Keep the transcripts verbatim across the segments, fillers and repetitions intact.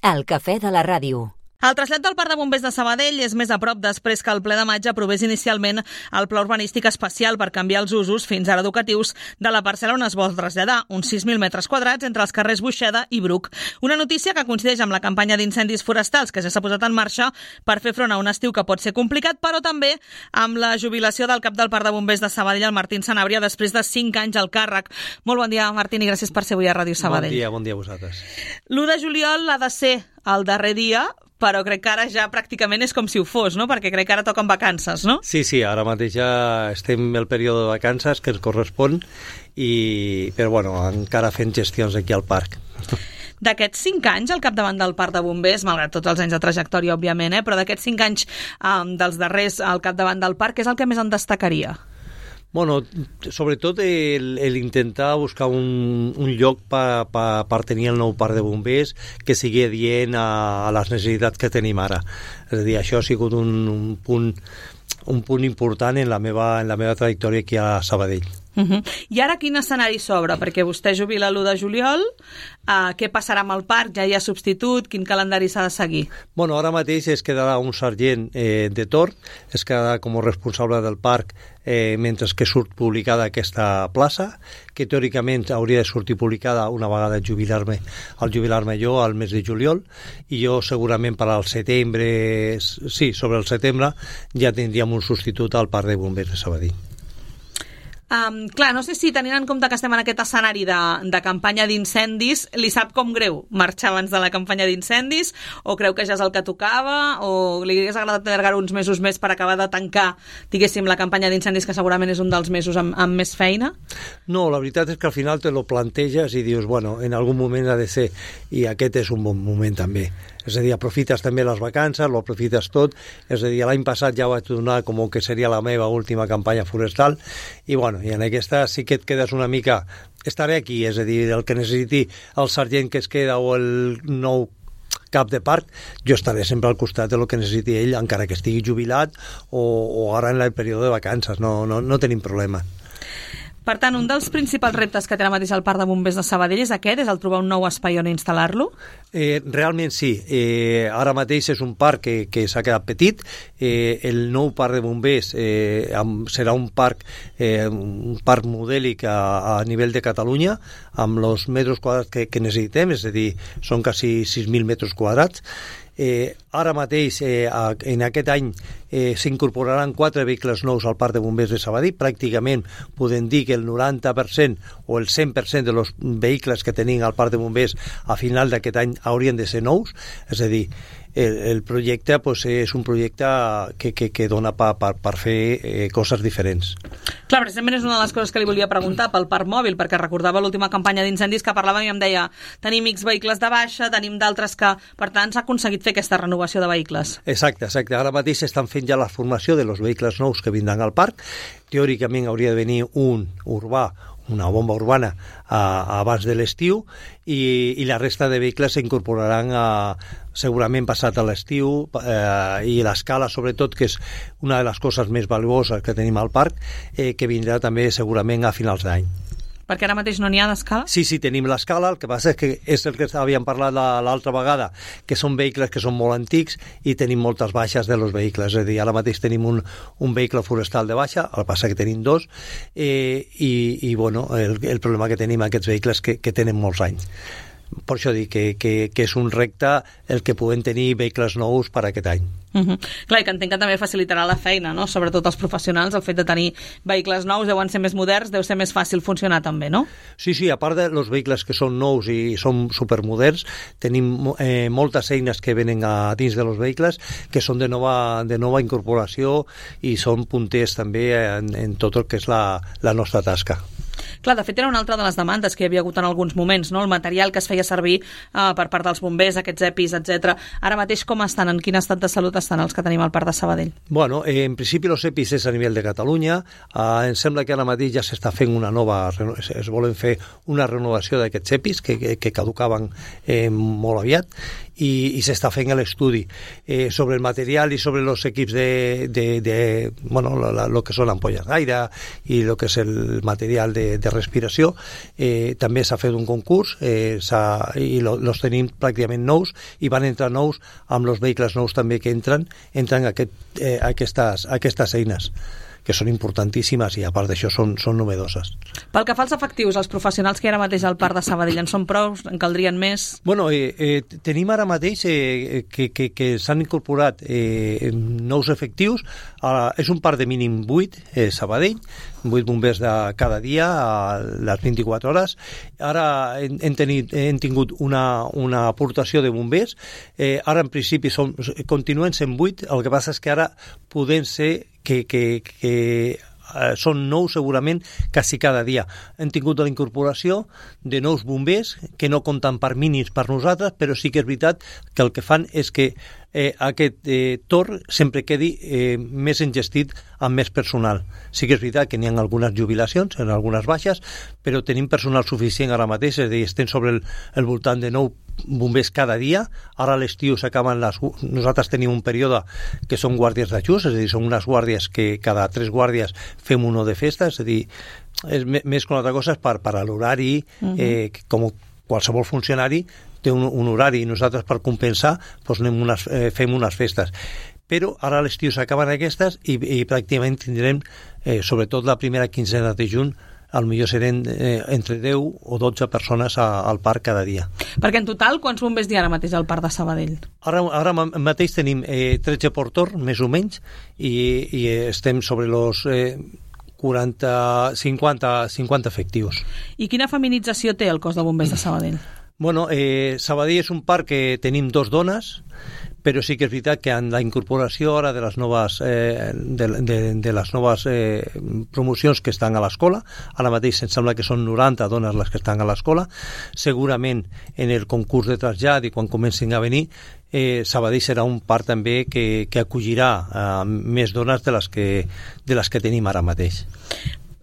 El cafè de la ràdio. El trasllat del Parc de Bombers de Sabadell és més a prop després que el ple de maig aprovés inicialment el pla urbanístic especial per canviar els usos, fins ara educatius, de la parcel·la on es vol traslladar, uns sis mil metres quadrats entre els carrers Buixeda i Bruc. Una notícia que coincideix amb la campanya d'incendis forestals que ja s'ha posat en marxa per fer front a un estiu que pot ser complicat, però també amb la jubilació del cap del Parc de Bombers de Sabadell, el Martín Sanabria, després de cinc anys al càrrec. Molt bon dia, Martín, i gràcies per ser avui a Ràdio Sabadell. Bon dia, bon dia a vosaltres. l'u de juliol ha de ser el darrer dia, però crec que ara ja pràcticament és com si ho fos, no? Perquè crec que ara toquen vacances, no? Sí, sí, ara mateix ja estem en el període de vacances que ens correspon, i, però bueno, encara fent gestions aquí al parc. D'aquests cinc anys al capdavant del Parc de Bombers, malgrat tots els anys de trajectòria, òbviament, eh? Però d'aquests cinc anys um, dels darrers al capdavant del parc, què és el que més en destacaria? Bueno, sobretot el, el intentar buscar un, un lloc per pa, pa tenir el nou parc de bombers que sigui adient a, a les necessitats que tenim ara. És a dir, això ha sigut un, un, punt, un punt important en la meva, en la meva trajectòria aquí a Sabadell. Uh-huh. I ara quin escenari s'obre? Perquè vostè jubila l'u de juliol, uh, què passarà amb el parc? Ja hi ha substitut? Quin calendari s'ha de seguir? Bueno, ara mateix es quedarà un sergent eh, de torn, es quedarà com a responsable del parc eh, mentre que surt publicada aquesta plaça, que teòricament hauria de sortir publicada una vegada jubilar-me, al jubilar-me jo al mes de juliol, i jo segurament per al setembre, sí, sobre el setembre, ja tindríem un substitut al Parc de Bombers de Sabadell. Um, clar, no sé si tenint en compte que estem en aquest escenari de, de campanya d'incendis, li sap com greu marxar abans de la campanya d'incendis, o creu que ja és el que tocava, o li hagués agradat allargar uns mesos més per acabar de tancar, diguéssim, la campanya d'incendis, que segurament és un dels mesos amb, amb més feina? No, la veritat és que al final te lo planteges i dius, bueno, en algun moment ha de ser, i aquest és un bon moment també. És a dir, aprofites també les vacances, lo aprofites tot. És a dir, l'any passat ja vaig donar com que seria la meva última campanya forestal, i bueno, i en aquesta sí que et quedes una mica... Estaré aquí, és a dir, el que necessiti el sergent que es queda o el nou cap de parc, jo estaré sempre al costat de lo que necessiti ell, encara que estigui jubilat o, o ara en el període de vacances, no, no, no tenim problema. Per tant, un dels principals reptes que té ara mateix el Parc de Bombers de Sabadell és aquest, és el trobar un nou espai on instal·lar-lo? Eh, realment sí. Eh, ara mateix és un parc que, que s'ha quedat petit. Eh, el nou Parc de Bombers eh, serà un parc, eh, un parc modèlic a, a nivell de Catalunya, amb els metres quadrats que, que necessitem, és a dir, són quasi sis mil metres quadrats. Eh, ara mateix, eh, en aquest any, eh, s'incorporaran quatre vehicles nous al Parc de Bombers de Sabadell. Pràcticament podem dir que el noranta per cent o el cent per cent de los vehicles que tenim al Parc de Bombers a final d'aquest any haurien de ser nous. És a dir, el, el projecte pues, és un projecte que, que, que dona per pa, pa fer eh, coses diferents. Clar, precisament és una de les coses que li volia preguntar pel parc mòbil, perquè recordava l'última campanya d'incendis que parlàvem i em deia, tenim X vehicles de baixa, tenim d'altres que, per tant, s'ha aconseguit fer aquesta renovació de vehicles. Exacte, exacte. Ara mateix estan fent ja la formació de los vehicles nous que vindran al parc. Teòricament hauria de venir un urbà, una bomba urbana a, a abans de l'estiu, i, i la resta de vehicles s'incorporaran a, segurament passat a l'estiu, eh, i l'escala sobretot, que és una de les coses més valuoses que tenim al parc, eh, que vindrà també segurament a finals d'any. Perquè ara mateix no n'hi ha d'escala? Sí, sí, tenim l'escala, el que passa és que és el que havíem parlat l'altra vegada, que són vehicles que són molt antics i tenim moltes baixes de los vehicles, és a dir, ara mateix tenim un, un vehicle forestal de baixa, el que passa que tenim dos, eh, i, i bueno, el, el problema que tenim aquests vehicles que, que tenen molts anys. Per això dic que, que, que és un repte el que puguem tenir vehicles nous per aquest any. Uh-huh. Clar, i que entenc que també facilitarà la feina, no? Sobretot els professionals, el fet de tenir vehicles nous, deuen ser més moderns, deu ser més fàcil funcionar també, no? Sí, sí, a part de los vehicles que són nous i són supermoderns, tenim eh, moltes eines que venen a dins de los vehicles que són de nova, de nova incorporació i són punters també en, en tot el que és la, la nostra tasca. Clar, de fet era una altra de les demandes que hi havia hagut en alguns moments, no? El material que es feia servir uh, per part dels bombers, aquests EPIs, etcètera. Ara mateix com estan? En quin estat de salut estan els que tenim al Parc de Sabadell? Bueno, eh, en principi els EPIs és a nivell de Catalunya. Uh, em sembla que ara mateix ja s'està fent una nova, es, es volen fer una renovació d'aquests EPIs que, que, que caducaven eh, molt aviat, i, i s'està fent l'estudi eh, sobre el material i sobre els equips de, de, de bueno, lo, lo que són ampolles d'aire i el que és el material de de respiració. Eh, també s'ha fet un concurs eh, i lo, los tenim pràcticament nous i van entrar nous amb els vehicles nous també que entren, entren aquest, eh, aquestes, aquestes eines que són importantíssimes i a part d'això són, són novedoses. Pel que fa als efectius, els professionals que hi ha ara mateix al Parc de Sabadell en són prou? En caldrien més? Bueno, eh, eh, tenim ara mateix eh, que, que, que s'han incorporat eh, nous efectius. Ara, és un parc de mínim vuit, eh, Sabadell, vuit bombers de cada dia a les vint-i-quatre hores. Ara hem, hem, tenit, hem tingut una, una aportació de bombers. Eh, ara en principi som, continuen sent vuit, el que passa és que ara podem ser que, que, que eh, són nous segurament quasi cada dia. Hem tingut la incorporació de nous bombers que no compten per mínims per nosaltres, però sí que és veritat que el que fan és que eh, aquest eh, torn sempre quedi eh, més engestit amb més personal. Sí que és veritat que n'hi ha algunes jubilacions, en algunes baixes, però tenim personal suficient ara mateix, és a dir, estem sobre el, el voltant de nou bombers cada dia. Ara a l'estiu s'acaben les... Nosaltres tenim un període que són guàrdies d'ajust, és a dir, són unes guàrdies que cada tres guàrdies fem uno de festa, és a dir, és més que una altra cosa és per, per a l'horari, uh-huh. eh, com qualsevol funcionari té un, un horari i nosaltres per compensar doncs anem unes, eh, fem unes festes. Però ara a l'estiu s'acaben aquestes i, i pràcticament tindrem, eh, sobretot la primera quinzena de juny, al millor serem eh, entre deu o dotze persones a, al parc cada dia. Perquè en total, quants bombers hi ha ara mateix al Parc de Sabadell? Ara, ara mateix tenim eh, tretze por torn, més o menys, i, i estem sobre els eh, quaranta, cinquanta, cinquanta efectius. I quina feminització té el cos de bombers de Sabadell? Bueno, eh, Sabadell és un parc que tenim dos dones, però sí que és veritat que en la incorporació ara de les noves, eh, de, de, de les noves eh, promocions que estan a l'escola, ara mateix em sembla que són noranta dones les que estan a l'escola, segurament en el concurs de trasllat i quan comencin a venir, eh, Sabadell serà un parc també que, que acollirà eh, més dones de les, que, de les que tenim ara mateix.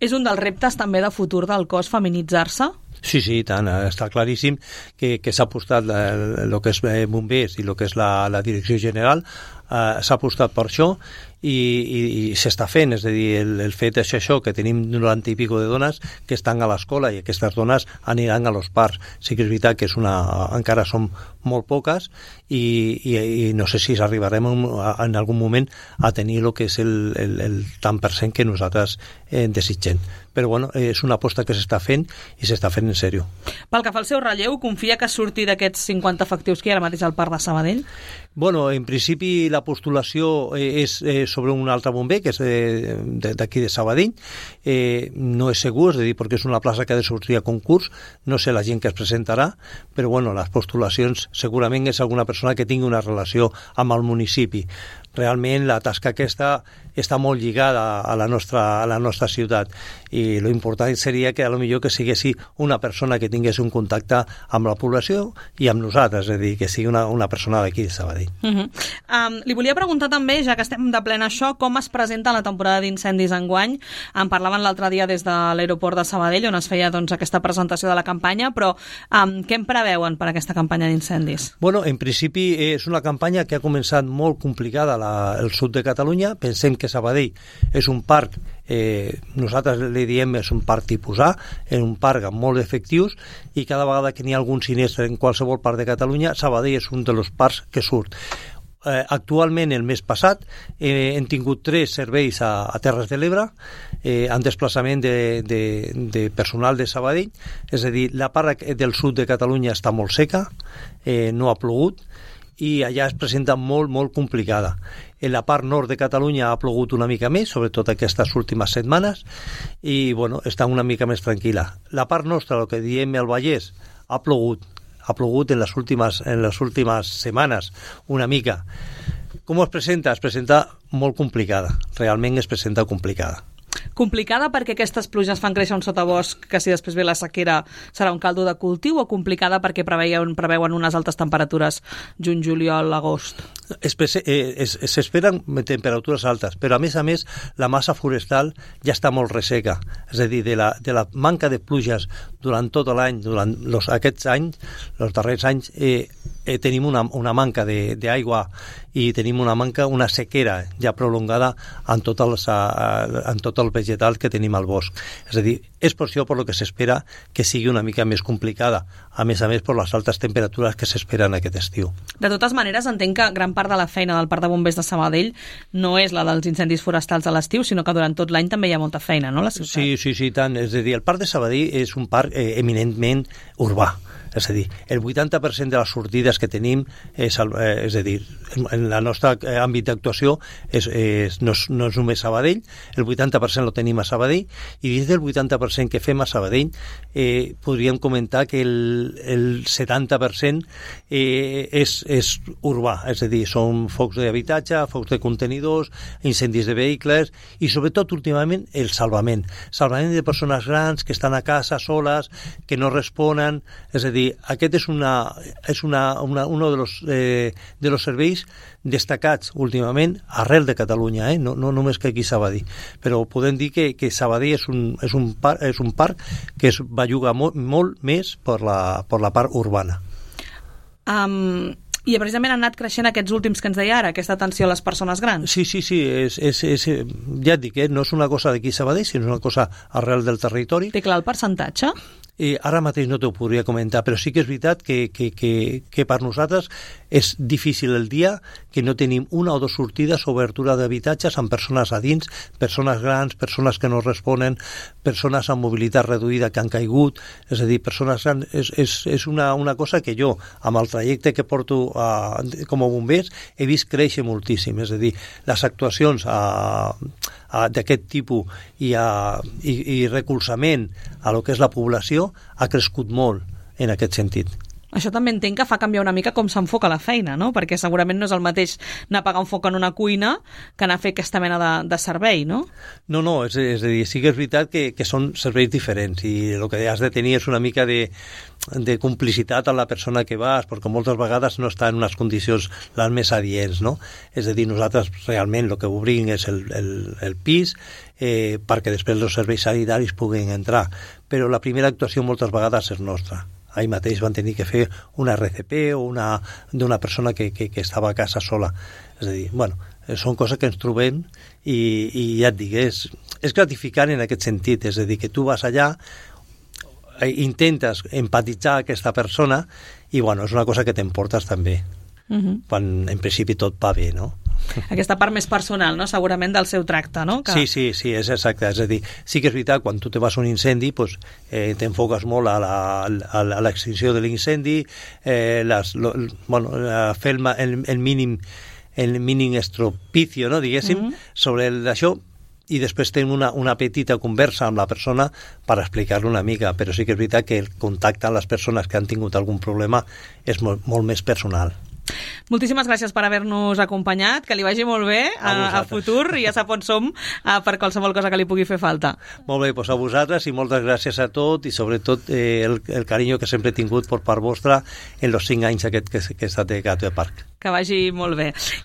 És un dels reptes també de futur del cos feminitzar-se? Sí, sí, tant. Està claríssim que, que s'ha apostat el que és bombers i el que és la, la direcció general, eh, s'ha apostat per això i, i, i s'està fent, és a dir, el, el fet és això, que tenim noranta i pico de dones que estan a l'escola i aquestes dones aniran a los parcs. Sí que és veritat que és una, encara som molt poques i, i, i no sé si arribarem en algun moment a tenir el que és el, el, el tant per cent que nosaltres eh, desitgem. Però bueno, és una aposta que s'està fent i s'està fent en sèrio. Pel que fa al seu relleu, confia que surti d'aquests cinquanta efectius que hi ha ara mateix al Parc de Sabadell? Bueno, en principi la postulació és eh, sobre un altre bomber, que és d'aquí de, de Sabadell. Eh, no és segur, és a dir, perquè és una plaça que ha de sortir a concurs, no sé la gent que es presentarà, però bueno, les postulacions segurament és alguna persona que tingui una relació amb el municipi. Realment la tasca aquesta està molt lligada a la nostra, a la nostra ciutat i l'important seria que a lo millor que siguessi una persona que tingués un contacte amb la població i amb nosaltres, és a dir, que sigui una, una persona d'aquí de Sabadell. Uh-huh. Um, li volia preguntar també, ja que estem de plena això, com es presenta la temporada d'incendis enguany. En parlaven l'altre dia des de l'aeroport de Sabadell, on es feia doncs, aquesta presentació de la campanya, però um, què en preveuen per aquesta campanya d'incendis? Bueno, en principi és una campanya que ha començat molt complicada la, el sud de Catalunya. Pensem que Sabadell és un parc, eh, nosaltres li diem és un parc tipus A, és un parc amb molts efectius i cada vegada que n'hi ha algun sinistre en qualsevol part de Catalunya, Sabadell és un dels parcs que surt. Eh, actualment, el mes passat, eh, hem tingut tres serveis a, a Terres de l'Ebre, eh, en desplaçament de, de, de personal de Sabadell, és a dir, la part del sud de Catalunya està molt seca, eh, no ha plogut, i allà es presenta molt, molt complicada. En la part nord de Catalunya ha plogut una mica més, sobretot aquestes últimes setmanes, i bueno, està una mica més tranquil·la. La part nostra, el que diem el Vallès, ha plogut, ha plogut en les últimes, en les últimes setmanes, una mica. Com es presenta? Es presenta molt complicada, realment es presenta complicada. Complicada perquè aquestes pluges fan créixer un sotabosc que si després ve la sequera serà un caldo de cultiu, o complicada perquè preveuen, preveuen unes altes temperatures juny, juliol, agost? S'esperen temperatures altes, però a més a més la massa forestal ja està molt resseca, és a dir, de la, de la manca de pluges durant tot l'any, durant los, aquests anys, els darrers anys, eh, eh, tenim una, una manca d'aigua i tenim una manca, una sequera ja prolongada en tot, els, en tot el vegetal que tenim al bosc. És a dir, és per això per lo que s'espera que sigui una mica més complicada, a més a més per les altes temperatures que s'esperen aquest estiu. De totes maneres, entenc que gran part de la feina del Parc de Bombers de Sabadell no és la dels incendis forestals a l'estiu, sinó que durant tot l'any també hi ha molta feina, no, a la ciutat? Sí, sí, sí, tant. És a dir, el Parc de Sabadell és un parc eh, eminentment urbà. És a dir, el vuitanta per cent de les sortides que tenim és, el, eh, és a dir, en, en el nostre àmbit d'actuació és, és, no, és, no és només Sabadell, el vuitanta per cent lo tenim a Sabadell, i dins del vuitanta per cent que fem a Sabadell eh, podríem comentar que el, el setanta per cent eh, és, és urbà, és a dir, són focs d'habitatge, focs de contenidors, incendis de vehicles i sobretot últimament el salvament. Salvament de persones grans que estan a casa soles, que no responen, és a dir, aquest és una és una, una uno de los eh, de los serveis destacats últimament arrel de Catalunya, eh? no, no només que aquí a Sabadell, però podem dir que, que Sabadell és un, és un, par, és un parc que es belluga molt, molt més per la, per la part urbana. Um... I precisament han anat creixent aquests últims que ens deia ara, aquesta atenció a les persones grans. Sí, sí, sí, és, és, és, ja et dic, eh? No és una cosa d'aquí a Sabadell, sinó una cosa arrel del territori. Té clar el percentatge? Eh, ara mateix no t'ho podria comentar, però sí que és veritat que, que, que, que per nosaltres és difícil el dia que no tenim una o dues sortides o obertura d'habitatges amb persones a dins, persones grans, persones que no responen, persones amb mobilitat reduïda que han caigut, és a dir, persones grans, és, és, és una, una cosa que jo, amb el trajecte que porto a, com a bombers, he vist créixer moltíssim, és a dir, les actuacions a, a, d'aquest tipus i, a, i, i recolzament a lo que és la població ha crescut molt en aquest sentit. Això també entenc que fa canviar una mica com s'enfoca la feina, no? Perquè segurament no és el mateix anar a apagar un foc en una cuina que anar a fer aquesta mena de, de servei, no? No, no, és, és a dir, sí que és veritat que, que són serveis diferents i el que has de tenir és una mica de, de complicitat amb la persona que vas, perquè moltes vegades no està en unes condicions les més adients, no? És a dir, nosaltres realment el que obrim és el, el, el pis eh, perquè després els serveis sanitaris puguin entrar, però la primera actuació moltes vegades és nostra. Ahir mateix van tenir que fer una R C P o una d'una persona que, que, que estava a casa sola. És a dir, bueno, són coses que ens trobem i, i ja et dic, és, és gratificant en aquest sentit, és a dir, que tu vas allà, intentes empatitzar aquesta persona i, bueno, és una cosa que t'emportes també, uh-huh. quan en principi tot va bé, no? Aquesta part més personal, no? Segurament del seu tracte, no? Que... Sí, sí, sí, és exacte. És a dir, sí que és veritat, quan tu te vas a un incendi, pues, eh, t'enfoques molt a, la, a, a l'extinció de l'incendi, eh, les, lo, bueno, a fer el, el, el mínim el mínim estropicio, no, diguéssim, mm-hmm. sobre el, això, i després tenim una, una petita conversa amb la persona per explicar-lo una mica, però sí que és veritat que el contacte amb les persones que han tingut algun problema és molt, molt més personal. Moltíssimes gràcies per haver-nos acompanyat, que li vagi molt bé a, a, a futur, i ja sap on som a, per qualsevol cosa que li pugui fer falta. Molt bé, doncs a vosaltres i moltes gràcies a tot i sobretot eh, el, el carinyo que sempre he tingut per part vostra en els cinc anys aquest que, que he estat de Gateway Park. Que vagi molt bé.